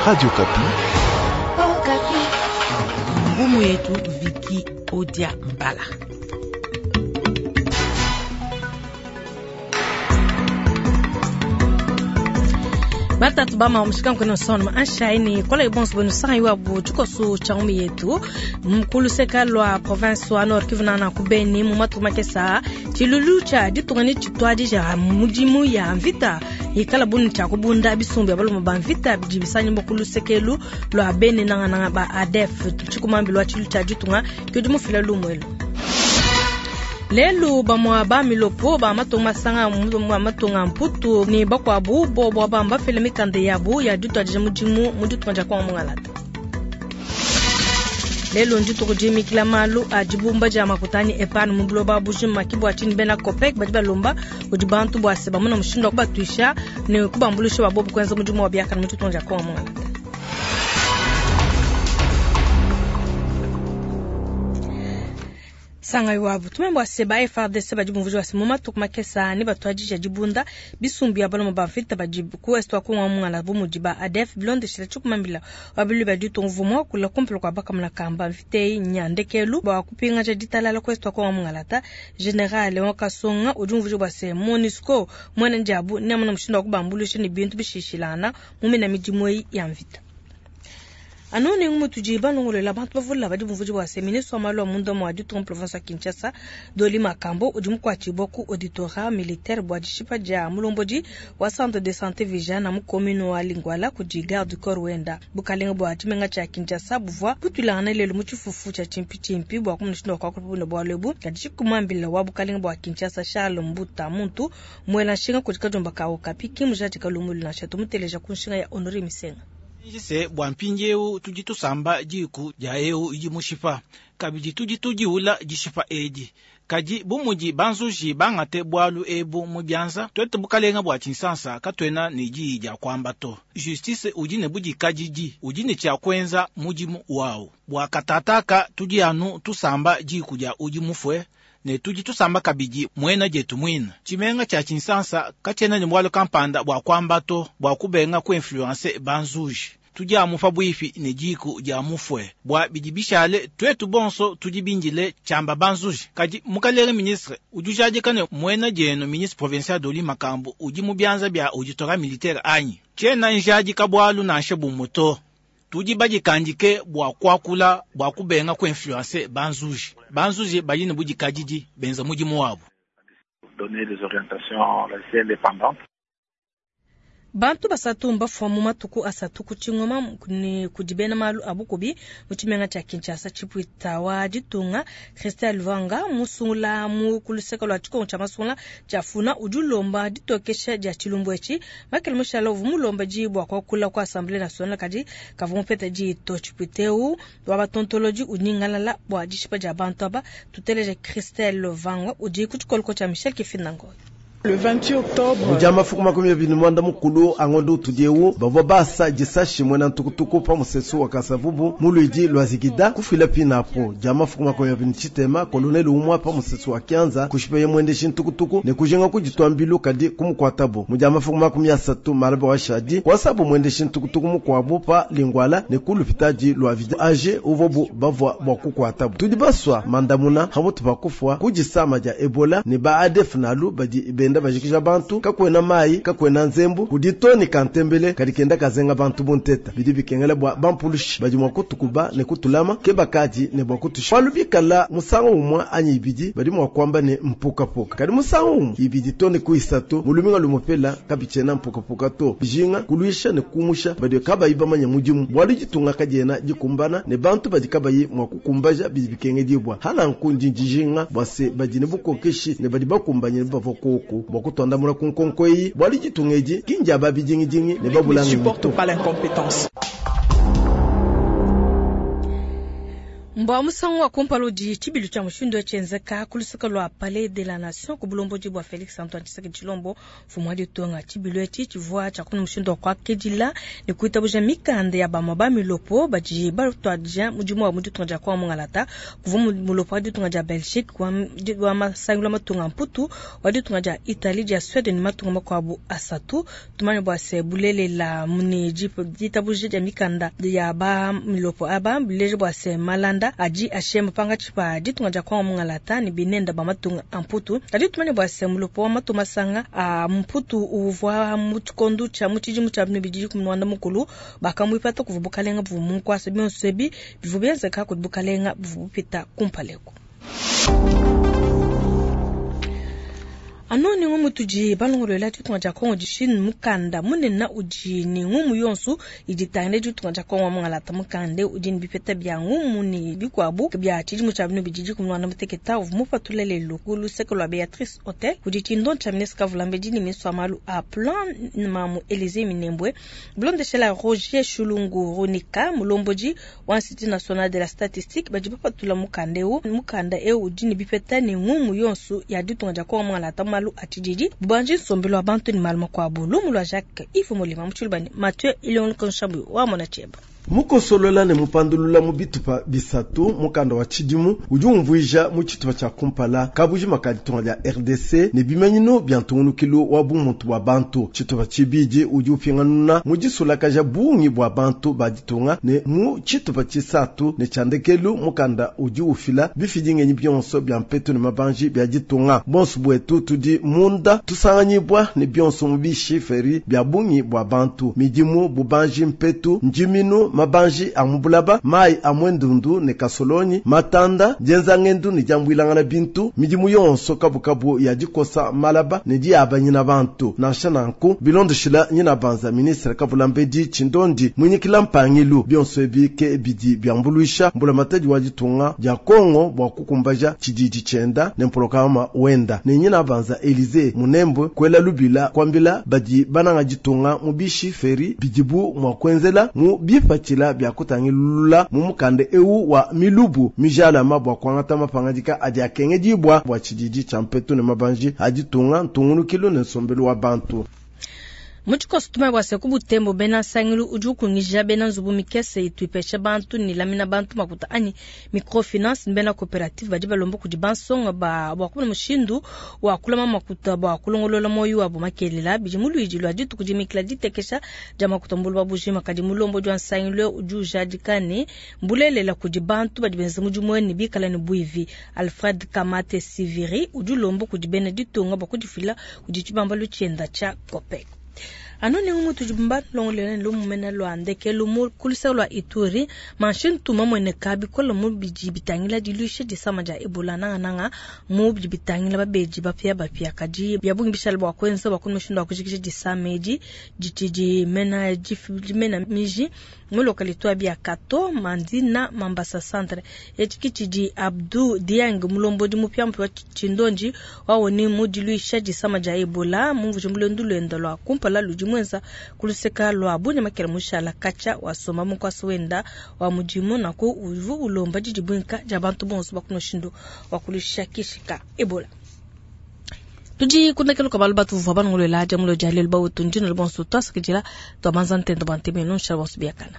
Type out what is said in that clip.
Radio Okapi. Ngumu yetu Viki Odia Mbala. Batatu bama mushika nkwene sono anshaini kola ibonso bwenu sanga iwa bu tshikoso tsha ngumi yetu mkuluseka lwa province wa Nord Kivu na ku Beni mu matuku makesa tshilulu tsha ditunga ni tshituadi tsha mudimu ya mvita ikala bunu tsha kubunda bisumbu ya balume ba mvita bidi bisanyimbo kulusekelu lwa Beni nangananga ba ADF tshikumambi lwa tshilu tsha ditunga kudi mufila lumwelo. Lelu bamwa ba milopo ba matunga masanga mu matunga mputu ni bakwabu bobo bamba fele mikanda yabu ya dituadija mudimu mu ditunga dia Kongo mungalata. Lelu ndituku dimikila malu a dibumba dia makutani epanu mu buloba bujima kibwa tshini bena COPEC badi balomba kudi bantu bua se bamona mushindu wa kubatuisha ne kubambulisha babobu kuenza mudimu wa biakane mu ditunga dia Kongo mungalata. Sanga iwabu tumembo ase ba FARDC badi bumvuji wase mu matuku makesa ne batuadija dibunda bisumbu ya baloma ba mvita badi ku est wa Kongo mungala bu mudi ba ADF bilondeshela tshikumambila wabilu badi tumvumwa kula kumpela kwa bakamuna kamba mvita eyi nyandekelu bwa kupingaja ditalala ku est wa Kongo mungalata. General wa Kasonga udi umvuji bwa se MONUSCO mwene ndiabu ne amuna mushindu wa kubambulisha ne bintu bishishilana mu mina midimu eyi ya mvita. Anu ne ngumu tudi balongolola bantu bavula badi bumvuji bwa se ministre wa malu a munda mua ditunga province ya Kinshasa Dolly Makambo udi mukuatshibua ku auditorat militaire bua dishipa dia mulombodi wa centre de santé Vijana mu commune wa Lingwala kudi garde du corps wenda. Bukalenga bua tshimenga tshia Kinshasa buvua butuilangana lelu mu tshifufu tshia tshimpitshimpi bua kumushindu wa kuakula bune bualu ebu. Kadi tshikumambila wa bukalenga bua Kinshasa Charles Mbuta muntu muela nshinga kudi kadiomba ka Okapi kimujadika lumulu nansha tumuteleja ku nshinga ya Honore Misenga. Jise bua mpindieu tudi tusamba diku dia eu idi mushipa kabidi tudi tudiula dishipa edi kadi bu mudi banzuji bangate bualu ebu mu bianza tuetu bukalenga bua tshinsansa katuena ne diyi dia kuamba to. Justice udi ne budikadidi udi ne tshia kuenza mudimu wawu bua katataka tudi anu tusamba diku dia udi mufue ne tudi tusamba kabidi muena dietu muina. Tshimenga tshia tshinsansa katshiena ne bualu kampanda bua kuamba to bua kubenga kuinfluence banzuji. Tudi amu pabuipi ne diku dia mufue bua bidi bishale tuetu bonso tudi bindile tshiamba banzuji. Kadi mukalenge ministre udi ujadika ne muena dienu ministre provincial Dolly Makambo udi mu bianza bia auditorat militaire anyi? Tshiena njadika bualu nansha bumue to. Tudi badikandike bua kuakula bua kubenga kuinfluence banzuji. Banzuji badi ne budikadidi benza mudimu wabu. Donner des orientations assez indépendantes. Bantu basatu mbafua mu matuku asatu ku tshingoma ne kudi bena malu a bukubi mu tshimenga tshia Kinshasa tshipuita wa ditunga Christelle Lwanga musungula mu kuluseka lua tshikongo tshia masungula tshia Funa udi ulomba ditokesha dia tshilumbu etshi. Michael Mushala uvua mulomba diyi bua kuakula ku Assemblée nationale kadi kavua mupeta diyi to. Tshipuita eu wa batontolodi unyingalala bua dishipa dia bantu aba. Tuteleje Christelle Lwanga udi ku tshikoloko tshia Michel Kifindangoy. Le 28 octobre. Muja mafuku makumi abiri mwanda mukulu angondo utudieu bavua basa disashi mwena ntukutuku pa musesu wa Kasavubu mu luidi lwa Zigida kufila pinapo. Dia mafuku makumi abiri tshitema koloneli umwa pa musesu wa Kianza kushipeye mwendeshi ntukutuku ne kujenga kuditwa mbilu kadi kumukuatabo. Muja mafuku makumi asatu malaba wa Shadi kwasabu mwendeshi ntukutuku mukuabu pa Lingwala ne kulupitaji lwa Vida age uvobu bavua bua kukuatabo. Tudi baswa mandamuna hamutu pa kufua kudisama dia Ebola ne ba ADF nalu badi benda bajikija bantu kakwena mai kakwena nzembu kuditoni kantembele kadi kenda kazenga bantu bunteta bidi bikengela bua bampulushi badi mua kutukuba ne kutulama ke bakadi ne bua kutusha palu bikala musangu umwe anyi ibidi badi mua kuamba ne mpukapuka kadi musangu umwe ibidi toni kuisatu muluminga lumupela kabichena mpukapuka to bijinga kuluisha ne kumusha badi kabayi bamanya mudimu bualu ditunga kadiena dikumbana ne bantu badi kabayi mua kukumbaja bidi bikengedibwa hana nkundi dijinga bua se badi ne bukokeshi ne badi bakumbanye ne bavua koko bua kutwandamuna ku nkonko eyi bualu ditunga edi kindia ba bidingidingi ne babulanga Ne supporte mito. pas l'incompétence. Mbua musangu wa kumpala udi tshibilu tshia mushindu eu tshienzeka ku luseke lua Palais de la Nation ku bulombodi bua Felix Antoine Tshisekedi Tshilombo, mfumu wa ditunga. Tshibilu etshi tshivua tshia kumona mushindu wa kuakidila ne kuitabuja mikanda ya bamue ba milopo badi batuadija mudimu wabu mu ditunga dia Kongo mungalata. Kuvua mulopo wa ditunga dia Belgique, wa masangilu a matunga a Mputu, wa ditunga dia Italie, dia Suede ne matunga makuabu asatu. Tumanye bua se bulelela ne ditabuja dia mikanda ya ba milopo aba bileja bua se malanda adi ashema pankatshi pa ditunga dia Kongo mungalata ne binenda ba matunga a Mputu. Kadi tumanye bua se mulopo wa matunga masanga a Mputu uvua mu tshikondo tshia mu tshidimu tshia 2015 bakamuipata kuvua bukalenga buvua mu nkuasa. Bionso ebi bivua bienzeka kudi bukalenga buvua bupita kumpala eku. Anu ne ngumu tudi balongoluela ditunga dia Kongo dishini mukanda munene udi ne ngumu yonso idi itangila ditunga dia Kongo wa mungalata. Mukanda udi ne bipeta bia ngumu ne bikuabu bia tshidimu tshia 2016 uvua mupatula lelu ku luseke lua Beatrice Hotel kudi tshindo tshia ministre Kavulambedi ne ministre wa malu a plan Mamu Elysee Minembwe bilondeshela Roger Shulungu Ronika mulombodi wa Institut National de la Statistique badi bapatula mukanda eu. Mukanda eu udi ne bipeta ne ngumu yonso ya ditunga dia Kongo mungalata malu a tshididi, bubanji, nsombelu wa bantu ne malu makuabu. Lumu lua Jacques Yves Molima mu tshiluba ne Mathieu Ilongo Nshambu wa Mona Tshieba. Mukosolola ne mupandulula mu bitupa bisatu, mukanda wa tshidimu udi umvuija mu tshitupa tshia kumpala kabujima ka ditunga dia RDC ne bimanyinu bia ntungunukilu wa bumuntu bua bantu. Tshitupa tshibidi udi upinganuna mu disulakaja bungi bua bantu ba ditunga, ne mu tshitupa tshisatu ne tshia ndekelu mukanda udi ufila bifidingenyi bionso bia mpetu ne mabanji bia ditunga. Bonso buetu tudi munda tusanganyibwa ne bionso mu bishiferi bia bungi bua bantu, midimu, bubanji, mpetu, njiminu, mabanji a mubulaba, mai a mwendundu ne kasolonyi, matanda, dienzangendu ne diambuilangana bintu, midimu yonso kabukabu ya dikosa malaba ne diabanyina bantu. Nansha nanku bilondoshila nyina banza ministre Kavulambedi Tshindondi mwinyikila mpangilu bionso ebi ke bidi biambuluisha mbulamatadi wa ditunga dia Kongo bua kukumbaja tshididi tshienda ne mpolokama wenda ne nyina banza Elysee Munembwe kwela lubila kwambila badi bananga ditunga mu bishiferi bidibu mua kuenzela mu bipatshila bia kutangilula mu mukanda eu wa milubu mijalama bua kuangata mapangadika adi akengedibwa bua tshididi tshia mpetu ne mabanji a ditunga ntungunukilu ne nsombelu wa bantu. Mu tshikoso tumanye bua se ku Butembo bena nsangilu udi ukungija bena nzubu mikese itu ipesha bantu ne lamina bantu makuta anyi microfinance ne bena coopérative badi balomba kudi bansonga ba bua kumona mushindu wa kulama makuta bua kulongolola moyo wabo makelela. Bidi mu luidi lua dituku dimikila ditekesha dia makuta mu buloba bujima. Kadi mulombodi wa nsangilu udi ujadika ne mbulelela kudi bantu badi benza mudimu ne bikala ne buivi. Alfred Kamate Siviri udi ulomba kudi bena ditunga bua kudifila kudi tshibambalu tshienda tshia COPEC. Anu ne ngumu tudi balongolole ne lumumena lua ndekelu mu kuluse lua Ituri manshintu mamwene bikola mu bidi bitangila diluisha disama dia Ebola nangananga mu bidi bitangila babedi bapia bapia kadi bia bungi bishala bua kuenza bua kumushindu wa kujikija disama edi ditshidi mena dimena miji mu localité bia Kato Mandina Mambasa Centre etshi kitshidi Abdou Dieng mulombodi mupia mpia wa Tshindonji wawoni mu diluisha disama dia Ebola mu mvuje mulendu lwenda lua kumpala ludi mwenza kuluseka lwa bunya makela mushala kacha wasoma mukwasa wenda wa mudimu naku uvu ulomba didibwinka dia bantu bonso bakunoshindu wa kulusha kishika Ebola. Tudi kundekelo kabalu batu vua banongolola dia mulo dia lelu bautu ndino bonso twasakidila twabanza ntendo banteme nonsha bonso biakana.